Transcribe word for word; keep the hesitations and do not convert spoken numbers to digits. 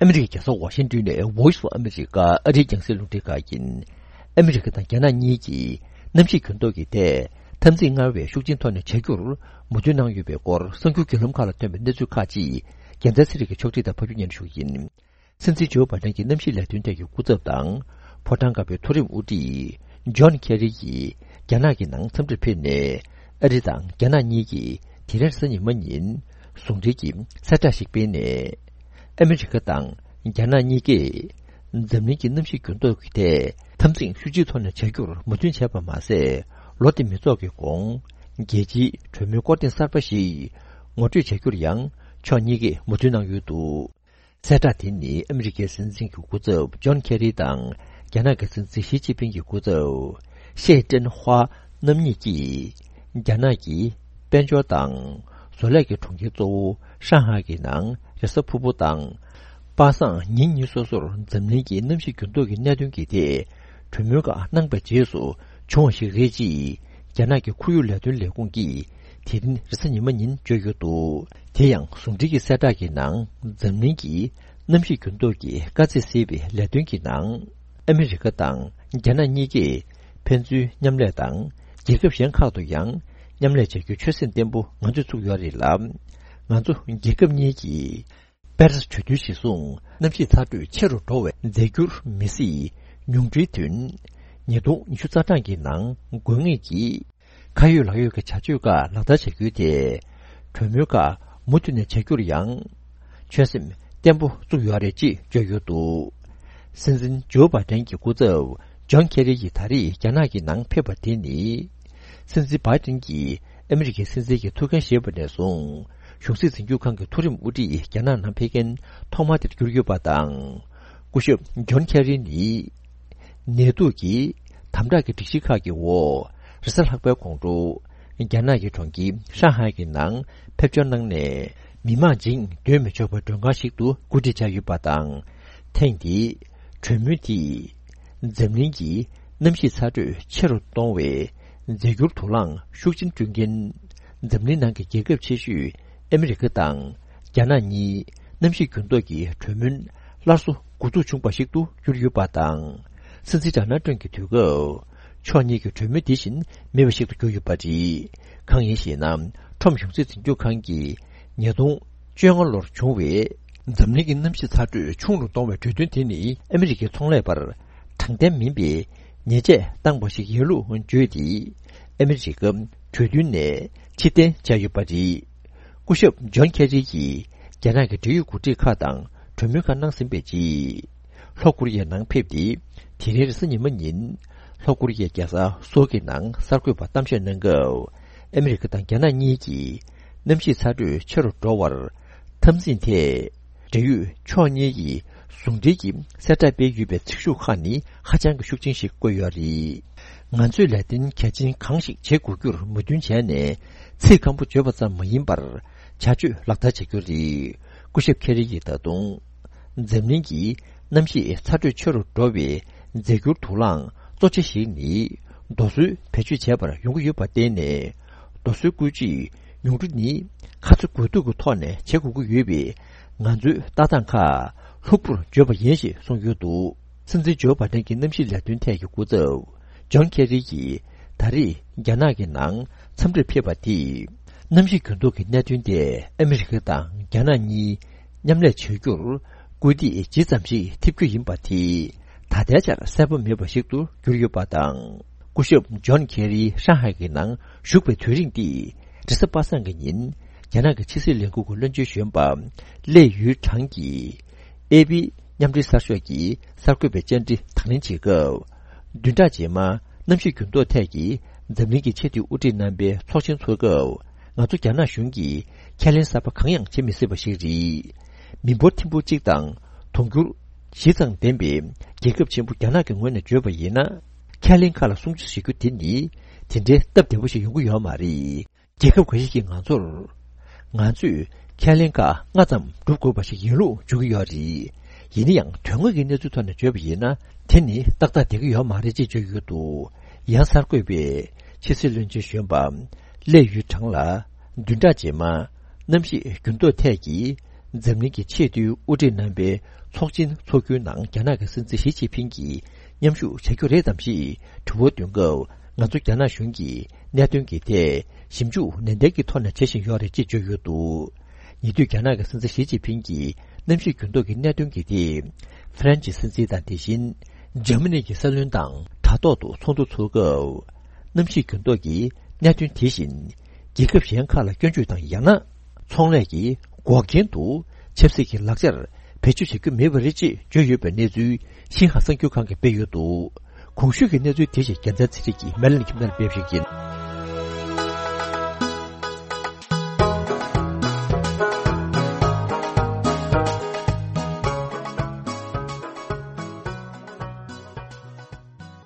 ཨ་མི་རི་ཀའི་རྒྱལ་ས་ཝ་ཤིང་ཏོན་ནས་Voice of America ཨ་རིའི་རྒྱང་སྲིང་རླུང་འཕྲིན་ཁང་ཡིན། ཨ་མི་རི་ཀ་དང་རྒྱ་ནག་གཉིས་ཀྱིས་གནམ་གཤིས་འགྱུར་ལྡོག་གི་ཐད་འཐབ་འཛིང་སྔར་བས་ཤུགས་ཆེན་ཐོག་ནས་བྱ་རྒྱུར་མོས་མཐུན་གནང་ཡོད་པའི་སྐོར་གསར་འགྱུར་བརྒྱུད་ལམ་ཁག་ལ་ཐོན་པའི་གནས་ཚུལ་ཁག་ཅིག་རྒྱལ་མཚན་ཚེ་རིང་གིས་ཕྱོགས་སྒྲིག་དང་ཕབ་སྒྱུར་སྙན་ཞུ་ཡིན། སྲིད་འཛིན་ཇོ་བྷའི་ཌེན་གྱི་གནམ་གཤིས་ལས་དོན་ཐད་ཀྱི་སྐུ་ཚབ་དང་། ཕོ་བྲང་དཀར་པོའི་མཐོ་རིམ་དབུ་ཁྲིད་ཇོན་ཁེ་རི་ཡིས་རྒྱ་ནག་གི་ནང་འཚམས་འདྲིར་ཕེབས་ནས། ཨ་རི་དང་རྒྱ་ནག་གཉིས་ཀྱིས་དེ་རིང་རེས་གཟའ་ཉི་མ་ཉིན་ཟུང་འབྲེལ་གྱི་གསལ་བསྒྲགས་ཤིག་སྤེལ་ནས། ཨ་མི་རི་ཀ་དང་རྒྱ་ནག་གཉིས་ཀས་འཛམ་གླིང་གི་གནམ་གཤིས་འགྱུར་ལྡོག་གི་ཐད་འཐབ་འཛིང་ཤུགས་ཆེའི་ཐོག་ནས་བྱ་རྒྱུར་མོས་མཐུན་བྱས་པ་མ་ཟད། ལོ་འདི་མི་རྫོགས་ཀྱི་གོང་རྒྱལ་སྤྱིའི་གྲོས་མོལ་སྐོར་ཐེངས་གསར་པ་ཞིག་ངོ་སྤྲོད་བྱ་རྒྱུར་ཡང་ཕྱོགས་གཉིས་ཀས་མོས་མཐུན་གནང་ཡོད་འདུག་གསལ་བསྒྲགས་དེ་ནི་ཨ་མི་རི་ཀའི་སྲིད་འཛིན་གྱི་སྐུ་ཚབ་ཇོན་ཁེ་རི་དང་རྒྱ་ནག་གི་སྲིད་འཛིན་ཞི་ཅིན་ཕིང་གི་སྐུ་ཚབ་ཤེ་ཀྲེན་ཧྭ་རྣམ་གཉིས་ཀྱིས་རྒྱ་ནག་གི་དཔལ་འབྱོར་དང་བཟོ་ལས་ཀྱི་གྲོང་ཁྱེར་གཙོ་བོ་ཧྲང་ཧའེ་གི་ནང་རེས་གཟའ་ཕུར་བུ་དང་པ་སངས་ཉིན་གཉིས་སོ་སོར་འཛམ་གླིང་གི་གནམ་གཤིས་འགྱུར་ལྡོག་གི་གནད་དོན་གྱི་ཐད་གྲོས་མོལ་ཁག་གནང་པའི་རྗེས་སུ་བྱུང་བ་ཞིག་རེད་ཅེས་རྒྱ་ནག་གི་ཁོར་ཡུག་ལས་དོན་ལས་ཁུངས་ཀྱིས་དེ་རིང་རེས་གཟའ་ཉི་མ་ཉིན་བརྗོད་ཡོད་འདུག་དེ་ཡང་ཟུང་འབྲེལ་གྱི་གསལ་བསྒྲགས་ཀྱི་ནང་འཛམ་གླིང་གི་གནམ་གཤིས་འགྱུར་ལྡོག་གི་དཀའ་ཚེགས་སེལ་བའི་ལས་དོན་གྱི་ནང་ཨ་མི་རི་ཀ་དང་རྒྱ་ནག་གཉིས་ཀས་ཕན་ཚུན་མཉམ་ལས་དང་རྒྱལ་ཁབ་གཞན་ཁག་ཏུ་ཡང་མཉམ་ལས་བྱ་རྒྱུའི་ཆོད་སེམས་བརྟན་པོ་ང་ཚོས་བཙུགས་ཡོད་རེད་ལ། ང་ཚོ་རྒྱལ་ཁབ་གཉིས་ཀྱིས་པེ་རི་སི་གྲོས་མཐུན་གཞིར་བཟུང་གནམ་གཤིས་ཚ་དྲོད་ཆེ་རུ་འགྲོ་བའི་རྫས་འགྱུར་མི་སྲིད་ཉུང་འཕྲིའི་དོན། ཉིས་སྟོང་ཉི་ཤུ་རྩ་གྲངས་ཀྱི་ནང་དགོས་ངེས་ཀྱི་ཁ་ཡོད་ལག་ཡོད་ཀྱི་བྱ་སྤྱོད་ཁག་ལག་བསྟར་བྱ་རྒྱུའི་ཐད་གྲོས་མོལ་ཁག་མུ་མཐུད་ནས་བྱ་རྒྱུར་ཡང་ཆོད་སེམས་བརྟན་པོ་བཙུགས་ཡོད་རེད་ཅེས་བརྗོད་ཡོད་འདུག་སྲིད་འཛིན་ཇོ་བྷའི་ཌེན་གྱི་སྐུ་ཚབ་ཇོན་ཁེ་རི་ཡིས་ད་རེས་རྒྱ་ནག་གི་ནང་ཕེབས་པ་དེ་ནི། སྲིད་འཛིན་བྷའི་ཌེན་གྱིས་ཨ་མི་རི་ཀའི་སྲིད་འཛིན་གྱི་ཐུགས་འགན་བཞེས་པ་ནས་བཟུང་གཞུང་སྲིད་འཛིན་སྐྱོང་ཁང་གི་མཐོ་རིམ་དབུ་ཁྲིད་རྒྱ་ནག་ནང་ཕེབས་མཁན་ཐོག་མ་དེར་གྱུར་ཡོད་པ་དང་། སྐུ་ཞབས་ཇོན་ཁེ་རི་ནི། ནད་དུག་གི་དམ་དྲག་གི་སྒྲིག་གཞི་ཁག་གི་འོག་རེས་གཟའ་ལྷག་པའི་དགོང་དྲོ། རྒྱ་ནག་གི་གྲོང་ཁྱེར་ཧྲང་ཧའེ་གི་ནང་ཕེབས་འབྱོར་གནང་ནས། མི་མང་བཞིན་སྡོད་མི་ཆོག་པའི་མགྲོན་ཁང་ཞིག་ཏུ་གོ་སྒྲིག་བྱས་ཡོད་པ་དང་། ཐེངས་འདིའི་གྲོས་མོལ་དེས་འཛམ་གླིང་གི་གནམ་གཤིས་ཚ་དྲོད་ཆེ་རུ་གཏོང་བའི་རྫས་འགྱུར་དུག་རླངས་ཤུགས་ཆེན་བསྐྲུན་མཁན། འཛམ་གླིང་ནང་གི་རྒྱལ་ཁབ་ཆེ་ཤོས་ཨ་མི་རི་ཀ་དང་རྒྱ་ནག་གཉིས་གནམ་གཤིས་འགྱུར་ལྡོག་གི་གྲོས་མོལ་སླར་གསོ་འགོ་འཛུགས་བྱུང་བ་ཞིག་ཏུ་གྱུར་ཡོད་པ་དང་། སྲིད་འཛིན་ཌོ་ནལ་ཊམ་གྱི་དུས་སྐབས་ཕྱོགས་གཉིས་ཀྱི་གྲོས་མོལ་དེ་བཞིན་མེད་པ་ཞིག་ཏུ་གྱུར་ཡོད་པ་རེད། གང་ཡིན་ཞེ་ན། ཊམ་གཞུང་སྲིད་འཛིན་སྐྱོང་ཁང་གིས་ཉིས་སྟོང་བཅོ་ལྔ་ལོར་བྱུང་བའི་འཛམ་གླིང་གི་གནམ་གཤིས་ཚ་དྲོད་ཆུང་རུ་གཏོང་བའི་གྲོས་མཐུན་དེ་ནི་ཨ་མི་རི་ཀའི་ཚོང་ལས་པར་དྲང་བདེན་མིན་པའི་ཉེས་ཆད་བཏང་བ་ཞིག་ཡིན་ལུགས་བརྗོད་དེ། ཨ་མི་རི་ཀ་གྲོས་མཐུན་ནས་ཕྱིར་འཐེན་བྱས་ཡོད་པ་རེད། སྐུ་ཞབས་ཇོན་ཁེ་རི་ཡིས་རྒྱ་ནག་གི་འབྲེལ་ཡོད་འགོ་ཁྲིད་ཁག་དང་གྲོས་མོལ་ཁག་གནང་ཟིན་པའི་རྗེས། ལྷོ་ཀོ་རི་ཡའི་ནང་ཕེབས་ཏེ། དེ་རིང་རེས་གཟའ་ཉི་མ་ཉིན། ལྷོ་ཀོ་རི་ཡའི་རྒྱལ་ས་སོལ་གྱི་ནང་གསར་འགོད་པར་གཏམ་བཤད་གནང་སྐབས། ཨ་མི་རི་ཀ་དང་རྒྱ་ནག་གཉིས་ཀྱིས་གནམ་གཤིས་ཚ་དྲོད་ཆེ་རུ་འགྲོ་བར་འཐབ་འཛིང་ཐད། འབྲེལ་ཡོད་ཕྱོགས་གཉིས་ཀྱིས་ཟུང་འབྲེལ་གྱིས་གསལ་བསྒྲགས་སྤེལ་ཡོད་པའི་ཚིག་ཤུགས་ཁག་ནི་ཧ་ཅང་གི་ཤུགས་ཆེན་ཞིག་བཀོད་ཡོད་རེད། ང་ཚོས་ལས་དོན་གལ་ཆེན་གང་ཞིག་བྱེད་དགོས་རྒྱུར་མོས་མཐུན་བྱས་ནས། ཚིག་སྐམ་པོ་བརྗོད་པ་ཙམ་མ་ཡིན་པར་བྱ་སྤྱོད་ལག་བསྟར་བྱེད་རྒྱུ་རེད། སྐུ་ཞབས་ཁེ་རི་ཡིས་ད་དུང་། འཛམ་གླིང་གི་གནམ་གཤིས་ཚ་དྲོད་ཆེ་རུ་འགྲོ་བའི་རྫས་འགྱུར་དུག་རླངས་གཙོ་ཆེ་ཞིག་ནི། རྡོ་སོལ་བེད་སྤྱོད་བྱས་པར་ཡོང་གི་ཡོད་པར་བརྟེན་ནས། རྡོ་སོལ་བཀོལ་སྤྱོད་ཉུང་འཕྲི་ནི། ཁ་ཚ་དགོས་གཏུག་གི་ཐོག་ནས་བྱེད་དགོས་ཀྱི་ཡོད་པས། ང་ཚོའི་ལྟ་སྟངས་ཁག་ལྷུག་པོར་བརྗོད་པ་ཡིན་ཞེས་གསུངས་ཡོད་འདུག་སྲིད་འཛིན་ཇོ་བྷའི་ཌེན་གྱི་གནམ་གཤིས་ལས་དོན་ཐད་ཀྱི་སྐུ་ཚབ་ཇོན་ཁེ་རི་ཡིས་ད་རེས་རྒྱ་ནག་གི་ནང་འཚམས་འདྲིར་ཕེབས་པ་དེས། གནམ་གཤིས་འགྱུར་ལྡོག་གི་གནད་དོན་དེ་ཨ་མི་རི་ཀ་དང་རྒྱ་ནག་གཉིས་མཉམ་ལས་བྱ་རྒྱུར་སྐུལ་འདེད་ཇི་ཙམ་ཞིག་ཐེབས་རྒྱུ་ཡིན་པ་དེ་ད་ལྟའི་ཆར་གསལ་པོ་མེད་པ་ཞིག་ཏུ་གྱུར་ཡོད་པ་དང་། སྐུ་ཞབས་ཇོན་ཁེ་རི་ཧྲང་ཧའེ་གི་ནང་བཞུགས་པའི་དུས་རིང་དེ་རེས་གཟའ་པ་སངས་ཀྱི་ཉིན། རྒྱ་ནག་གི་ཕྱི་སྲིད་ལས་ཁུངས་ཀྱི་བློན་ཆེན་གཞོན་པ་ལེ་ཡུས་ཁྲང་གིས། ཨེ་པི་མཉམ་འབྲེལ་གསར་ཤོག་གིས་གསར་འགོད་པའི་བཅར་འདྲི་དང་ལེན་བྱེད་སྐབས། བདུན་ཕྲག་རྗེས་མ་གནམ་གཤིས་འགྱུར་ལྡོག་ཐད་ཀྱི་འཛམ་གླིང་གི་ཆེས་མཐོའི་དབུ་ཁྲིད་རྣམ་པའི་ཚོགས་ཆེན་འཚོགས་སྐབས། ང་ཚོ་རྒྱ་ནག་གཞུང་གིས་ཁས་ལེན་གསར་པ་གང་ཡང་བྱེད་མི་སྲིད་པ་ཞིག་རེད། མི་འབོར་ཐེར་འབུམ་གཅིག་དང་དུང་ཕྱུར་བཞི་ཙམ་ལྡན་པའི་རྒྱལ་ཁབ་ཆེན་པོ་རྒྱ་ནག་གི་ངོས་ནས་བརྗོད་པ་ཡིན་ན། ཁས་ལེན་ཁག་ལ་སྲུང་བརྩི་བྱེད་རྒྱུ་དེ་ནི་དེ་འདྲའི་སྟབས་བདེ་པོ་ཞིག་ཡོང་གི་ཡོད་མ་རེད། རྒྱལ་ཁབ་འགའ་ཞིག་གིས་ང་ཚོར། ང་ཚོས་ཁས་ལེན་ཁག་ལྔ་ཙམ་སྒྲུབ་དགོས་པ་ཞིག་ཡིན་ལུགས་བརྗོད་ཀྱི་ཡོད་རེད། ཡིན་ན་ཡང་དོན་དངོས་ཀྱི་གནས་ཚུལ་ཐོག་ནས་བརྗོད་པ་ཡིན་ན། དེ་ནི་ཏག་ཏག་བསྡད་ཀྱི་ཡོད་མ་རེད་ཅེས་བརྗོད་ཀྱི་ཡོད་འདུག་ཡང་གསར་འགོད་པས་ཕྱི་སྲིད་བློན་ཆེན་གཞོན་པ་ལེ་ཡུས་ཁྲང་ལ། བདུན་ཕྲག་རྗེས་མ་གནམ་གཤིས་འགྱུར་ལྡོག་ཐད་ཀྱི་ འཛམ་གླིང་གི་ཆེས་མཐོའི་དབུ་ཁྲིད་རྣམ་པའི་ཚོགས་ཆེན་འཚོགས་རྒྱུའི་ནང་རྒྱ་ནག་གི་སྲིད་འཛིན་ཞི་ཅིན་ཕིང་གིས་མཉམ་ཞུགས་བྱ་རྒྱུ་རེད་དམ་ཞེས་དྲི་བ་འདོན་སྐབས། ང་ཚོ་རྒྱ་ནག་གཞུང་གིས་གནད་དོན་གྱི་ཐད་ཞིབ་འཇུག་ནན་ཏན་གྱི་ཐོག་ནས་བྱེད་བཞིན་ཡོད་རེད་ཅེས་བརྗོད་ཡོད་འདུག། ཉེ་དུས་རྒྱ་ནག་གི་སྲིད་འཛིན་ཞི་ཅིན་ཕིང་གིས་གནམ་གཤིས་འགྱུར་ལྡོག་གི་གནད་དོན་གྱི་ཐད། ཧྥ་རན་ཇི་སྲིད་འཛིན་དང་། དེ་བཞིན་འཇར་མ་ནི་གི་སྲིད་བློན་དང་དྲ་ཐོག་ཏུ་ཚོགས་འདུ་ཚོགས་སྐབས། གནམ་གཤིས་འགྱུར་ལྡོག་གི་གནད་དོན་དེ་བཞིན་རྒྱལ་ཁབ་གཞན་ཁག་ལ་སྐྱོན་བརྗོད་དང་། ཡང་ན་ཚོང་ལས་ཀྱི་འགོག་རྐྱེན་དུ་ཆབ་སྲིད་ཀྱི་ལག་ཆར་བེད་སྤྱོད་བྱེད་རྒྱུ་མེད་པ་རེད་ཅེས་བརྗོད་ཡོད་པའི་གནས་ཚུལ་ཤིན་ཧྭ་གསར་འགྱུར་ཁང་གིས་སྤེལ་ཡོད་འདུག། གོང་ཞུས་ཀྱི་གནས་ཚུལ་དེ་བཞིན་རྒྱལ་མཚན་ཚེ་རིང་གིས་མེ་ལན་ཁྱིམ་ཚང་ལ་སྤེལ་བ་ཞིག་ཡིན།